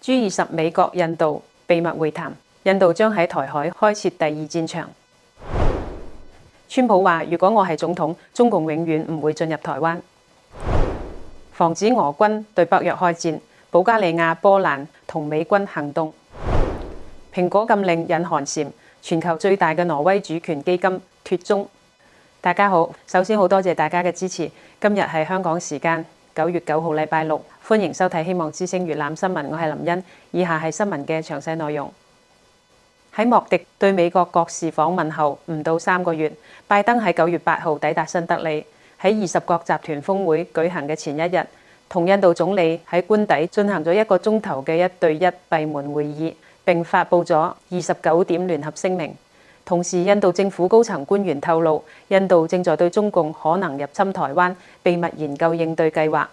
G20美國、印度秘密會談，印度將喺台海開設第二戰場。川普話：如果我係總統，中共永遠唔會進入台灣。防止俄軍對北約開戰，保加利亞、波蘭同美軍行動。蘋果禁令引寒蟬，全球最大嘅挪威主權基金脫蹤。大家好，首先好多謝大家嘅支持。今日係香港時間9月9號禮拜六，歡迎收睇希望之聲粵覽新聞，我係林茵。以下係新聞嘅詳細內容。喺莫迪對美國國事訪問後唔到3個月，拜登喺9月8號抵達新德里，喺20國集團峰會舉行嘅前一日，同印度總理喺官邸進行咗1個鐘頭嘅1對1閉門會議，並發布咗29點聯合聲明。同時，印度政府高層官員透露，印度正在對中共可能入侵台灣秘密研究應對計劃。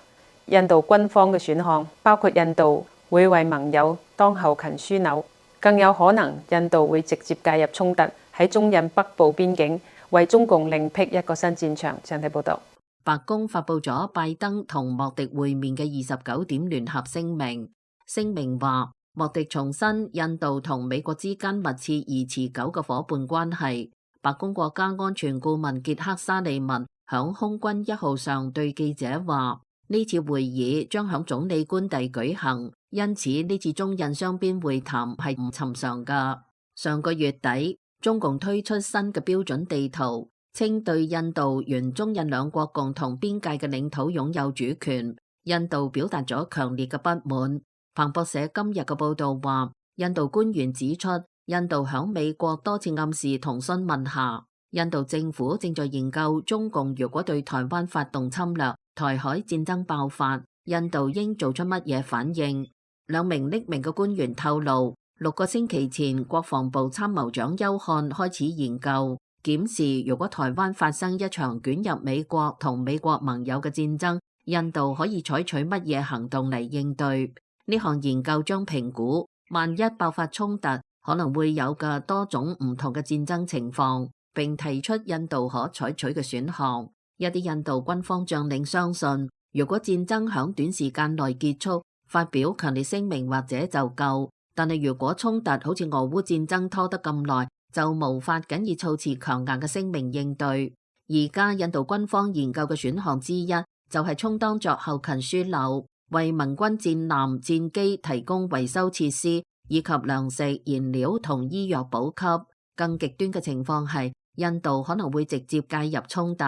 印度軍方嘅選項包括印度會為盟友當後勤樞紐，更有可能印度會直接介入衝突，喺中印北部邊境為中共另闢一個新戰場。請睇報道。白宮發布咗拜登同莫迪會面嘅29點聯合聲明，聲明話，莫迪重申印度同美國之間密切而持久嘅夥伴關係。白宮國家安全顧問傑克沙利文響空軍1號上對記者話，呢次會議將響總理官邸舉行，因此呢次中印雙邊會談係唔尋常㗎。上個月底，中共推出新嘅標準地圖，稱對印度原中印兩國共同邊界嘅領土擁有主權。印度表達咗強烈嘅不滿。彭博社今日嘅報道話，印度官員指出，印度響美國多次暗示同詢問下，印度政府正在研究中共如果對台灣發動侵略，台海戰爭爆發，印度應做出乜嘢反應。兩名匿名嘅官員透露，6個星期前，國防部參謀長邱漢開始研究檢視，如果台灣發生一場捲入美國同美國盟友嘅戰爭，印度可以採取乜嘢行動嚟應對。呢項研究將評估萬一爆發衝突可能會有嘅多種唔同嘅戰爭情況，並提出印度可採取嘅選項。一啲印度軍方將領相信，如果戰爭響短時間內結束，發表強烈聲明或者就夠，但係如果衝突好似俄烏戰爭拖得咁耐，就無法僅以措辭強硬嘅聲明應對。而家印度軍方研究嘅選項之一就係充當作後勤樞紐，為盟軍戰艦戰機提供維修設施，以及糧食、燃料同醫藥補給。更極端嘅情況係，印度可能會直接介入衝突，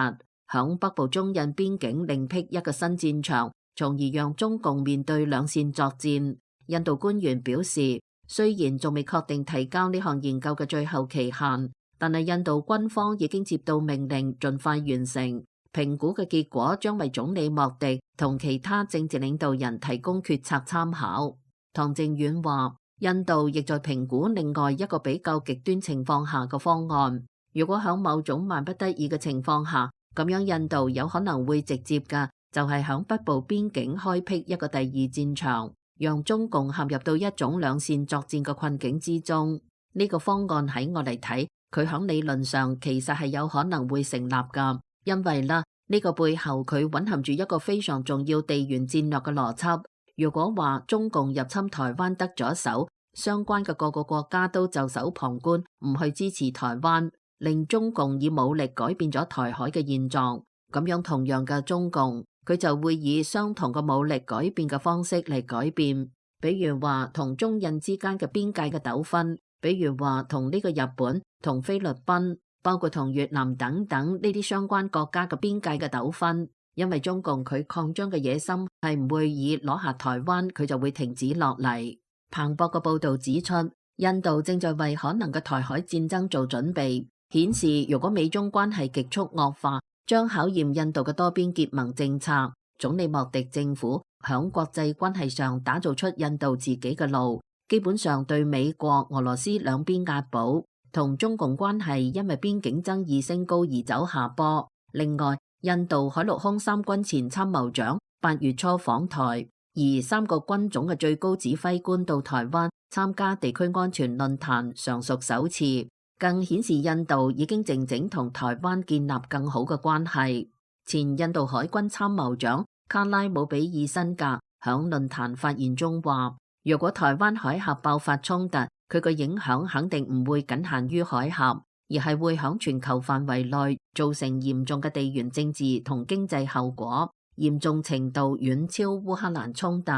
響北部中印邊境另闢一個新戰場，從而讓中共面對兩線作戰。印度官員表示，雖然仲未確定提交呢項研究嘅最後期限，但係印度軍方已經接到命令，盡快完成。評估嘅結果將為總理莫迪同其他政治領導人提供決策參考。唐靖遠話，印度亦在評估另外一個比較極端情況下嘅方案。如果喺某種萬不得已嘅情況下，咁樣印度有可能會直接嘅就係響北部邊境開闢一個第二戰場，讓中共陷入到一種兩線作戰嘅困境之中。呢個方案喺我嚟睇，佢響理論上其實係有可能會成立噶。因為呢個背後佢蘊含住一個非常重要地緣戰略嘅邏輯。如果話中共入侵台灣得咗手，相關嘅各個國家都袖手旁觀，唔去支持台灣，令中共以武力改變咗台海嘅現狀，咁樣同樣嘅中共，佢就會以相同嘅武力改變嘅方式嚟改變。比如話同中印之間嘅邊界嘅糾紛，比如話同呢個日本、同菲律賓，包括同越南等等呢啲相關國家嘅邊界嘅糾紛，因為中共佢擴張嘅野心係唔會以攞下台灣佢就會停止落嚟。彭博嘅報導指出，印度正在為可能嘅台海戰爭做準備，顯示如果美中關係極速惡化，將考驗印度嘅多邊結盟政策。總理莫迪政府響國際關係上打造出印度自己嘅路，基本上對美國、俄羅斯兩邊押寶。同中共關係因為邊境爭議升高而走下坡。另外，印度海陸空三軍前參謀長8月初訪台，而3個軍種嘅最高指揮官到台灣參加地區安全論壇尚屬首次，更顯示印度已經靜靜同台灣建立更好嘅關係。前印度海軍參謀長卡拉姆比爾辛格響論壇發言中話，如果台灣海峽爆發衝突，佢個影響肯定唔會僅限於海峽，而係會響全球範圍內造成嚴重嘅地緣政治同經濟後果，嚴重程度遠超烏克蘭衝突。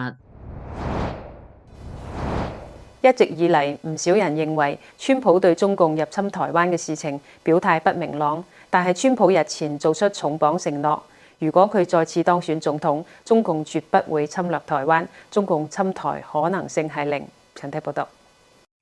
一直以嚟，唔少人認為川普對中共入侵台灣嘅事情表態不明朗，但係川普日前做出重磅承諾，如果佢再次當選總統，中共絕不會侵略台灣，中共侵台可能性係零。陳睇報道。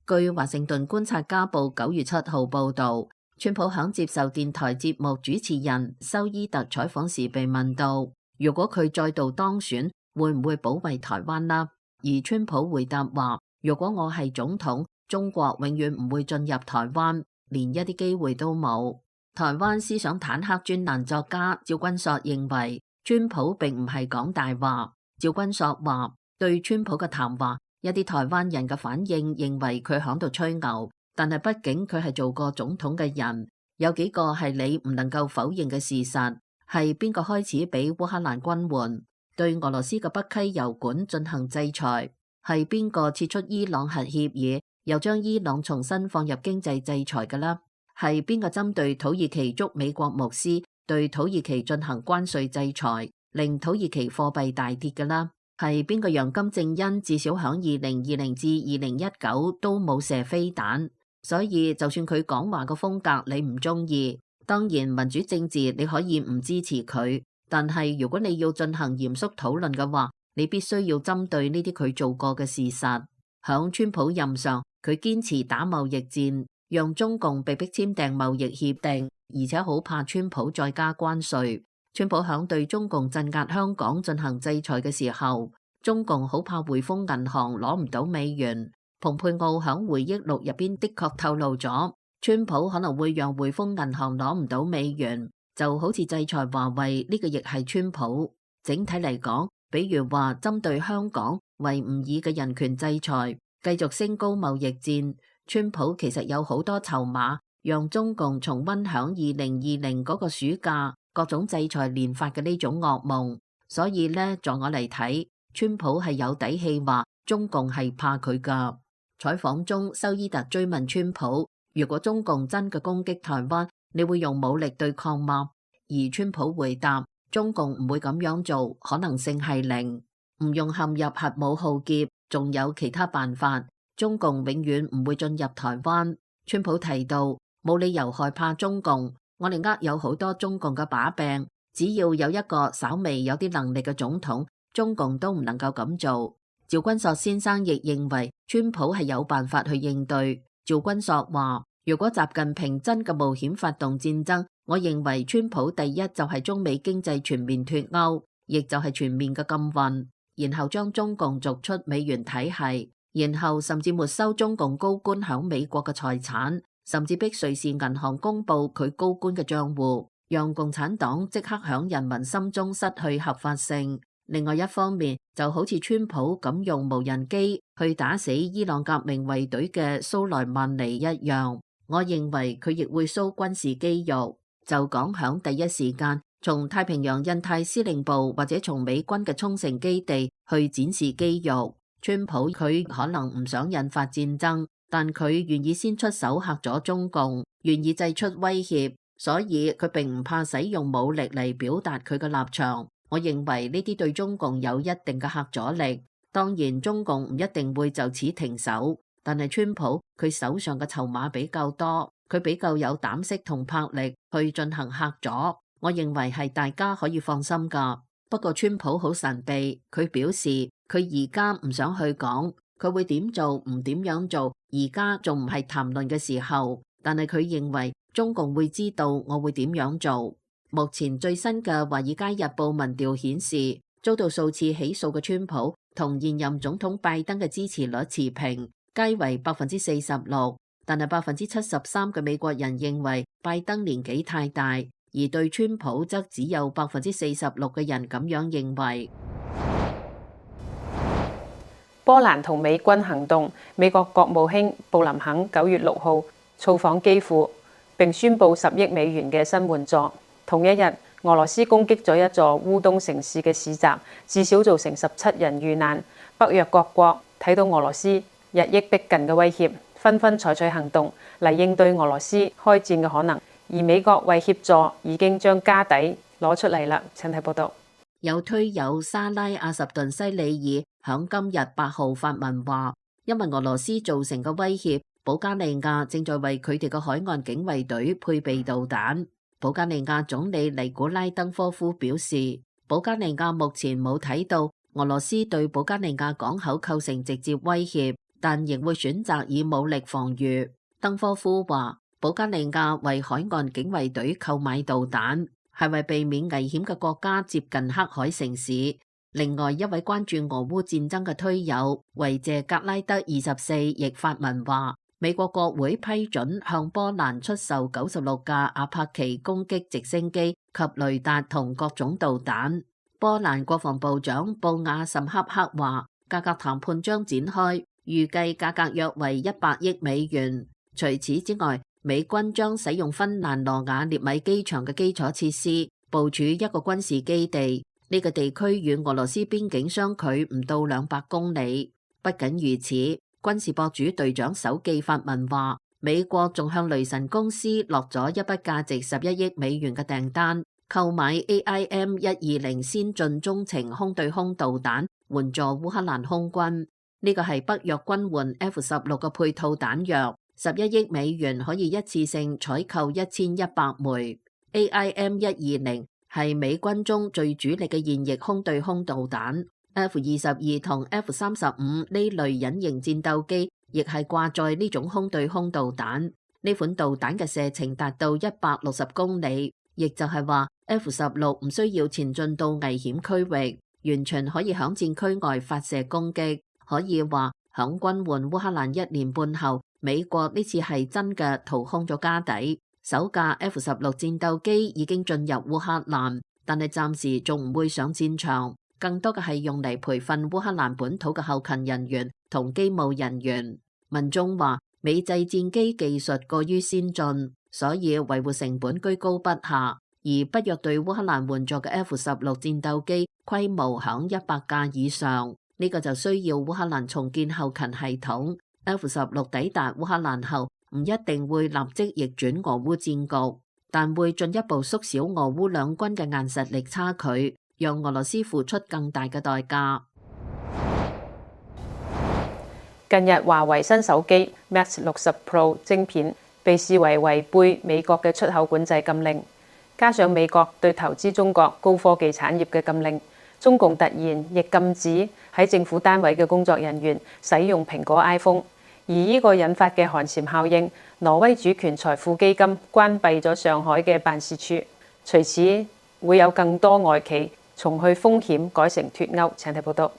據華盛頓觀察家報9月7號報導，川普響接受電台節目主持人修伊特採訪時被問到，如果佢再度當選，會唔會保衛台灣呢？而川普回答話，如果我係總統，中國永遠唔會進入台灣，連一啲機會都冇。台灣思想坦克專欄作家趙君朔認為，川普並唔係講大話。趙君朔話，對川普嘅談話，一啲台灣人嘅反應認為佢響度吹牛，但係畢竟佢係做過總統嘅人，有幾個係你唔能夠否認嘅事實，係邊個開始俾烏克蘭軍援，對俄羅斯嘅北溪油管進行制裁，係邊個撤出伊朗核協議，又將伊朗重新放入經濟制裁嘅啦？係邊個針對土耳其捉美國牧師，對土耳其進行關稅制裁，令土耳其貨幣大跌嘅啦？係邊個讓金正恩至少響2020至2019都冇射飛彈？所以就算佢講話個風格你唔中意，當然民主政治你可以唔支持佢，但係如果你要進行嚴肅討論嘅話，你必須要針對呢啲佢做過嘅事實。響川普任上，佢堅持打貿易戰，讓中共被迫簽訂貿易協定，而且好怕川普再加關稅。川普響對中共鎮壓香港進行制裁嘅時候，中共好怕匯豐銀行攞唔到美元。蓬佩奧響回憶錄入邊的確透露咗，川普可能會讓匯豐銀行攞唔到美元，就好似制裁華為呢個亦係川普。整體嚟講，比如話針對香港維吾爾嘅人權制裁，繼續升高貿易戰，川普其實有好多籌碼，讓中共重溫響2020嗰個暑假各種制裁連發嘅呢種噩夢。所以呢，在我嚟睇，川普係有底氣話中共係怕佢噶。採訪中，修伊特追問川普，如果中共真嘅攻擊台灣，你會用武力對抗嗎？而川普回答，中共唔會咁樣做，可能性係零，唔用陷入核武浩劫，仲有其他辦法。中共永遠唔會進入台灣。川普提到，冇理由害怕中共，我哋握有好多中共嘅把柄，只要有一個稍微有啲能力嘅總統，中共都唔能夠咁做。趙君朔先生亦認為川普係有辦法去應對。趙君朔話，如果習近平真嘅冒險發動戰爭，我認為川普第一就係中美經濟全面脫鈎，亦就係全面嘅禁運，然後將中共逐出美元體系，然後甚至沒收中共高官響美國嘅財產，甚至逼瑞士銀行公布佢高官嘅賬戶，讓共產黨即刻響人民心中失去合法性。另外一方面，就好似川普咁用無人機去打死伊朗革命衛隊嘅蘇萊曼尼一樣，我認為佢亦會 show 軍事肌肉，就講響第一時間從太平洋印太司令部或者從美軍嘅沖繩基地去展示肌肉。川普佢可能唔想引發戰爭，但佢願意先出手嚇咗中共，願意祭出威脅，所以佢並唔怕使用武力嚟表達佢嘅立場。我認為呢啲對中共有一定嘅嚇阻力，當然中共唔一定會就此停手，但係川普佢手上嘅籌碼比較多，佢比較有膽識同魄力去進行嚇阻，我認為係大家可以放心㗎。不過川普好神秘，佢表示佢而家唔想去講，佢會點做唔點樣做，而家仲唔係談論嘅時候，但係佢認為中共會知道我會點樣做。目前最新嘅《華爾街日報》民調顯示，遭到數次起訴嘅川普同現任總統拜登嘅支持率持平，皆為46%，但係73%嘅美國人認為拜登年紀太大，而對川普則只有46%嘅人咁樣認為。波蘭同美軍行動，美國國務卿布林肯9月6號造訪基輔，並宣布10億美元嘅新援助。同一日，俄羅斯攻擊咗一座烏東城市嘅市集，至少造成17人遇難。北約各國睇到俄羅斯日益逼近嘅威脅，紛紛採取行動嚟應對俄羅斯開戰嘅可能。而美國為協助，已經將家底攞出嚟啦。請睇報道。有推友沙拉阿什頓西里爾響今日8號發文話，因為俄羅斯造成嘅威脅，保加利亞正在為佢哋嘅海岸警衛隊配備導彈。保加利亞總理尼古拉登科夫表示，保加利亞目前冇睇到俄羅斯對保加利亞港口構成直接威脅，但仍會選擇以武力防禦。登科夫話，保加利亞為海岸警衛隊購買導彈，係為避免危險嘅國家接近黑海城市。另外一位關注俄烏戰爭嘅推友維謝格拉德24亦發文話，美國國會批准向波蘭出售96架阿帕奇攻擊直升機及雷達同各種導彈。波蘭國防部長布亞什恰克話，價格談判將展開，預計價格約為100億美元。除此之外，美軍將使用芬蘭羅瓦涅米機場嘅基礎設施部署一個軍事基地，呢個地區與俄羅斯邊境相距唔到200公里。不僅如此，軍事博主隊長手記發文話，美國仲向雷神公司落咗一筆價值11億美元嘅訂單，購買 AIM-120先進中程空對空導彈，援助烏克蘭空軍。呢個係北約軍援 F-16嘅配套彈藥。11億美元可以一次性採購1100枚。AIM-120係美軍中最主力嘅現役空對空導彈。F-22同 F-35呢類隱形戰鬥機亦係掛載呢種空對空導彈。呢款導彈嘅射程達到160公里，亦就係話 F-16唔需要前進到危險區域，完全可以響戰區外發射攻擊。可以話響軍援烏克蘭1年半後，美國呢次係真嘅掏空咗家底。首架 F-16戰鬥機已經進入烏克蘭，但係暫時仲唔會上戰場，更多嘅係用嚟培訓烏克蘭本土嘅後勤人員同機務人員。民眾話美製戰機技術過於先進，所以維護成本居高不下，而北約對烏克蘭援助嘅 F-16戰鬥機規模響100架以上，呢個就需要烏克蘭重建後勤系統。F-16抵達烏克蘭後，唔一定會立即逆轉俄烏戰局，但會進一步縮小俄烏兩軍嘅硬實力差距，讓俄羅斯付出更大嘅代價。近日，華為新手機 Mate 60 Pro 晶片被視為違背美國嘅出口管制禁令，加上美國對投資中國高科技產業嘅禁令，中共突然亦禁止喺政府單位嘅工作人員使用蘋果 iPhone。而呢個引發嘅寒蟬效應，挪威主權財富基金關閉咗上海嘅辦事處，隨此會有更多外企從去風險改成脫歐。請睇報道。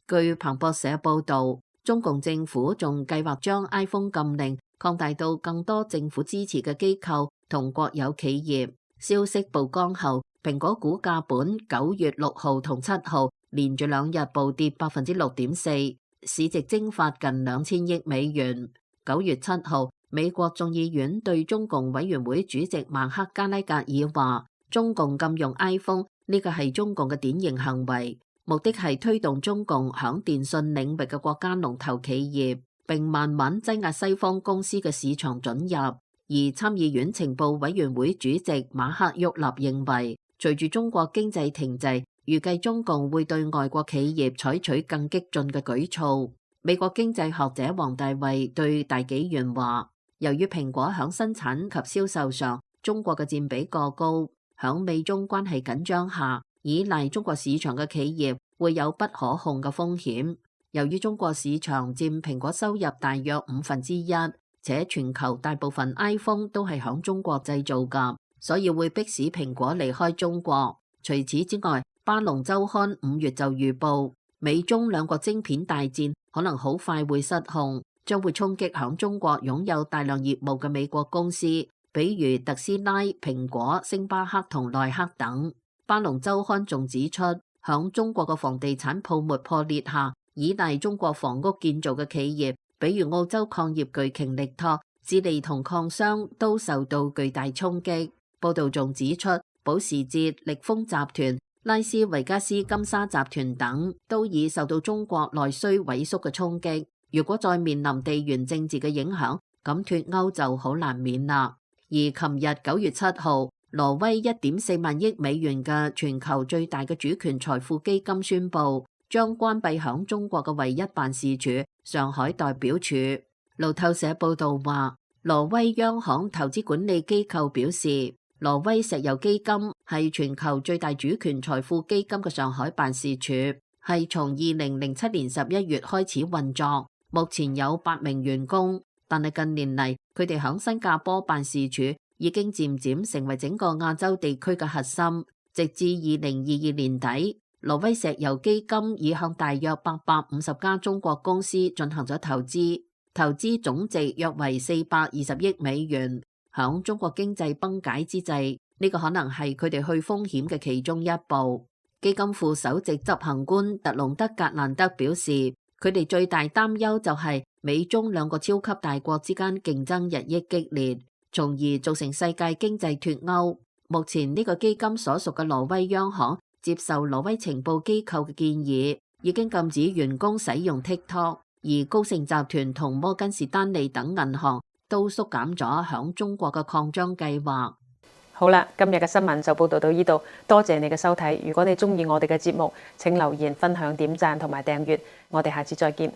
據彭博社報導，中共政府仲計劃將 iPhone 禁令擴大到更多政府支持嘅機構同國有企業。消息曝光後，蘋果股價本9月6號同7號連續2日暴跌6.4%。市值蒸發近2000億美元。9月7號，美國眾議院對中共委員會主席馬克加拉格爾話，中共禁用 iPhone 呢個係中共嘅典型行為，目的係推動中共響電信領域嘅國家龍頭企業，並慢慢擠壓西方公司嘅市場准入。而參議院情報委員會主席馬克沃納認為，隨住中國經濟停滯，預計中共會對外國企業採取更激進嘅舉措。美國經濟學者黃大衛對大紀元話，由於蘋果響生產及銷售上中國嘅佔比過高，響美中關係緊張下，依賴中國市場嘅企業會有不可控嘅風險。由於中國市場佔蘋果收入大約1/5，且全球大部分 iPhone 都係響中國製造㗎，所以會迫使蘋果離開中國。除此之外，巴龍週刊5月就預報，美中兩國晶片大戰可能好快會失控，將會衝擊響中國擁有大量業務嘅美國公司，比如特斯拉、蘋果、星巴克同耐克等。巴龍週刊仲指出，響中國嘅房地產泡沫破裂下，依賴中國房屋建造嘅企業，比如澳洲礦業巨擎力拓、智利同礦商都受到巨大衝擊。報道仲指出，保時捷、力豐集團、拉斯維加斯金沙集團等都已受到中國內需萎縮嘅衝擊。如果再面臨地緣政治嘅影響，咁脫歐就好難免啦。而琴日9月7號，挪威1.4萬億美元嘅全球最大嘅主權財富基金宣布，將關閉響中國嘅唯一辦事處上海代表處。路透社報道話，挪威央行投資管理機構表示，挪威石油基金係全球最大主權財富基金嘅上海辦事處，係從2007年11月開始運作，目前有8名員工。但係近年嚟，佢哋響新加坡辦事處已經漸漸成為整個亞洲地區嘅核心。直至2022年底，挪威石油基金已向大約850家中國公司進行咗投資，投資總值約為420億美元。響中國經濟崩解之際，呢個可能係佢哋去風險嘅其中一步。基金副首席執行官特隆德格蘭德表示，佢哋最大擔憂就係美中兩個超級大國之間競爭日益激烈，從而造成世界經濟脫歐。目前呢個基金所屬嘅挪威央行接受挪威情報機構嘅建議，已經禁止員工使用 TikTok， 而高盛集團同摩根士丹利等銀行都縮減咗響中國嘅擴張計劃。好啦，今日嘅新聞就報道到呢度，多謝你嘅收睇。如果你中意我哋嘅節目，請留言、分享、點讚同埋訂閱。我哋下次再見。